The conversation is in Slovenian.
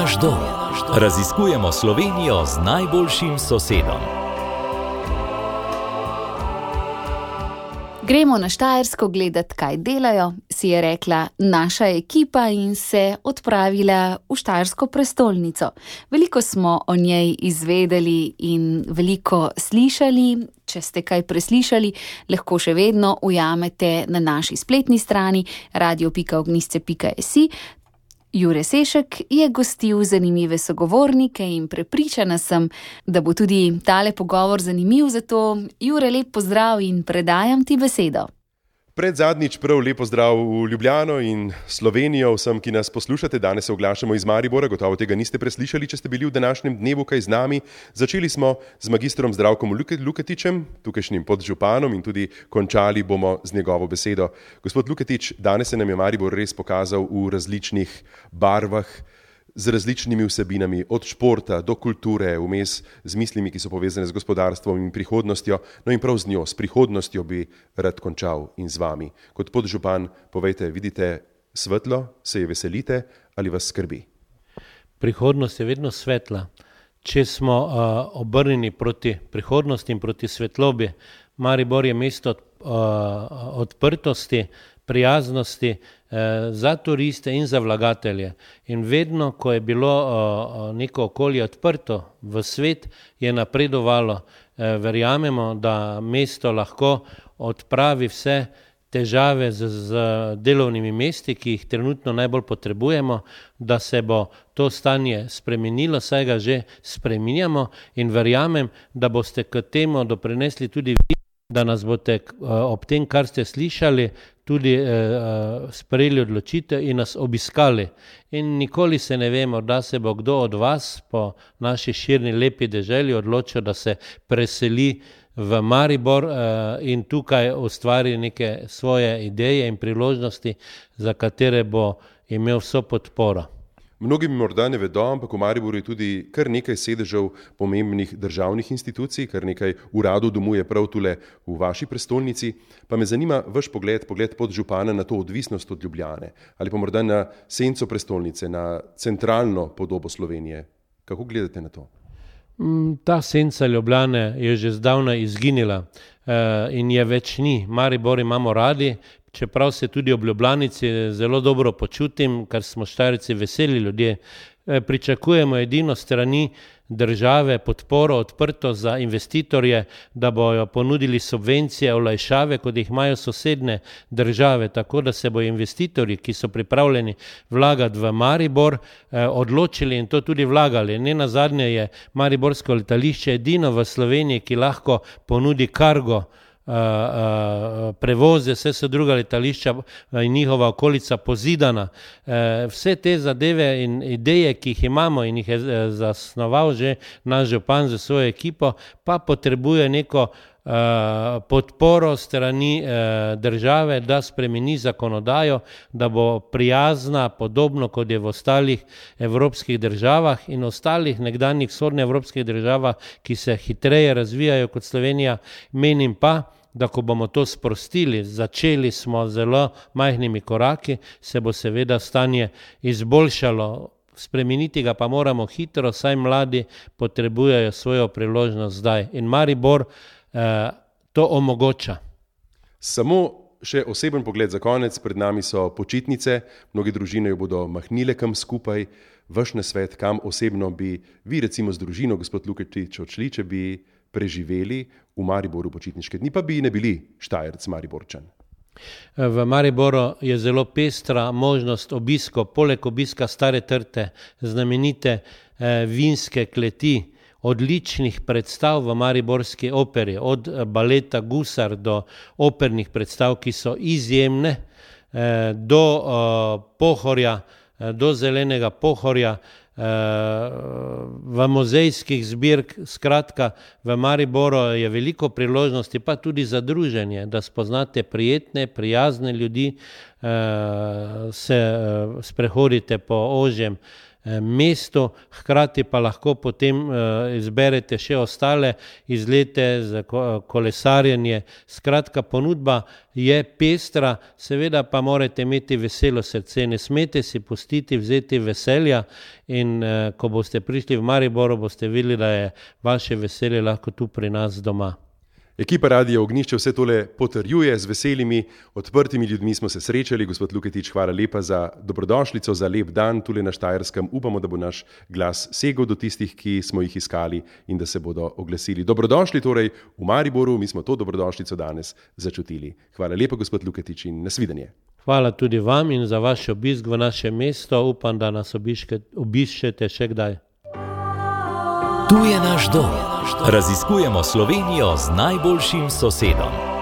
naš dom. Raziskujemo Slovenijo z najboljšim sosedom. Gremo na Štajersko gledat, kaj delajo, si je rekla naša ekipa in se odpravila v Štajersko prestolnico. Veliko smo o njej izvedeli in veliko slišali. Če ste kaj preslišali, lahko še vedno ujamete na naši spletni strani radio.ognisce.si. Jure Sešek je gostil zanimive sogovornike in prepričana sem, da bo tudi tale pogovor zanimiv, zato Jure, lep pozdrav in predajam ti besedo. Predzadnjič prav lep pozdrav v Ljubljano in Slovenijo vsem, ki nas poslušate. Danes se oglašamo iz Maribora, gotovo tega niste preslišali, če ste bili v današnjem dnevu kaj z nami. Začeli smo z magistrom Zdravkom Luketičem, tukajšnjim podžupanom, in tudi končali bomo z njegovo besedo. Gospod Luketič, danes se nam je Maribor res pokazal v različnih barvah, z različnimi vsebinami, od športa do kulture, vmes z mislimi, ki so povezane z gospodarstvom in prihodnostjo. No in prav z njo, s prihodnostjo bi rad končal in z vami. Kot podžupan, povejte, vidite svetlo, se je veselite ali vas skrbi? Prihodnost je vedno svetla. Če smo obrnjeni proti prihodnosti in proti svetlobi, Maribor je mesto odprtosti, prijaznosti za turiste in za vlagatelje. In vedno, ko je bilo neko okolje odprto v svet, je napredovalo. Verjamemo, da mesto lahko odpravi vse težave z delovnimi mesti, ki jih trenutno najbolj potrebujemo, da se bo to stanje spremenilo, saj ga že spreminjamo, in verjamem, da boste k temu doprinesli tudi vi, da nas boste ob tem, kar ste slišali, tudi sprejeli odločitev in nas obiskali. In nikoli se ne vemo, da se bo kdo od vas po naši širni lepi deželi odločil, da se preseli v Maribor in tukaj ustvari neke svoje ideje in priložnosti, za katere bo imel vso podporo. Mnogi mi morda ne vedo, ampak v Mariboru je tudi kar nekaj sedežev pomembnih državnih institucij, kar nekaj uradov domuje prav tule v vaši prestolnici. Pa me zanima vaš pogled podžupana na to odvisnost od Ljubljane ali pa morda na senco prestolnice, na centralno podobo Slovenije. Kako gledate na to? Ta senca Ljubljane je že zdavnaj izginila in je več ni. Maribor imamo radi, čeprav se tudi ob Ljubljanici zelo dobro počutim, ker smo Štajerci veseli ljudje. Pričakujemo edino strani države podporo, odprto za investitorje, da bojo ponudili subvencije, olajšave, kot jih imajo sosedne države, tako da se bojo investitorji, ki so pripravljeni vlagati v Maribor, odločili in to tudi vlagali. Nenazadnje je mariborsko letališče edino v Sloveniji, ki lahko ponudi kargo prevoze, vse so druga letališča in njihova okolica pozidana. Vse te zadeve in ideje, ki jih imamo in jih je zasnoval že naš župan za svojo ekipo, pa potrebuje neko podporo strani države, da spremeni zakonodajo, da bo prijazna, podobno kot je v ostalih evropskih državah in ostalih nekdanjih vzhodnoevropskih državah, ki se hitreje razvijajo kot Slovenija. Menim pa, da ko bomo to sprostili, začeli smo zelo majhnimi koraki, se bo seveda stanje izboljšalo. Spremeniti ga pa moramo hitro, saj mladi potrebujejo svojo priložnost zdaj. In Maribor to omogoča. Samo še oseben pogled za konec. Pred nami so počitnice, mnoge družine jo bodo mahnile kam skupaj. Vaš nasvet, kam osebno bi vi recimo z družino, gospod Luketič, odšli, če bi preživeli v Mariboru počitniške dni, pa bi ne bili Štajerc Mariborčan? V Mariboru je zelo pestra možnost obiskov, poleg obiska Stare trte, znamenite vinske kleti, odličnih predstav v mariborski operi, od baleta Gusar do opernih predstav, ki so izjemne, do Pohorja, do zelenega Pohorja, v muzejskih zbirk. Skratka, v Mariboru je veliko priložnosti, pa tudi za druženje, da spoznate prijetne, prijazne ljudi, se sprehodite po ožjem mestu, hkrati pa lahko potem izberete še ostale izlete za kolesarjenje. Skratka, ponudba je pestra, seveda pa morate imeti veselo srce, ne smete si pustiti vzeti veselja in ko boste prišli v Mariboru, boste videli, da je vaše veselje lahko tu pri nas doma. Ekipa Radia Ognjišče vse tole potrjuje, z veselimi, odprtimi ljudmi smo se srečali. Gospod Luketič, hvala lepa za dobrodošlico, za lep dan tule na Štajerskem. Upamo, da bo naš glas segel do tistih, ki smo jih iskali in da se bodo oglasili. Dobrodošli torej v Mariboru, mi smo to dobrodošlico danes začutili. Hvala lepa, gospod Luketič, in nasvidenje. Hvala tudi vam in za vaš obisk v naše mesto. Upam, da nas obiščete še kdaj. Tu je naš dom. Raziskujemo Slovenijo z najboljšim sosedom.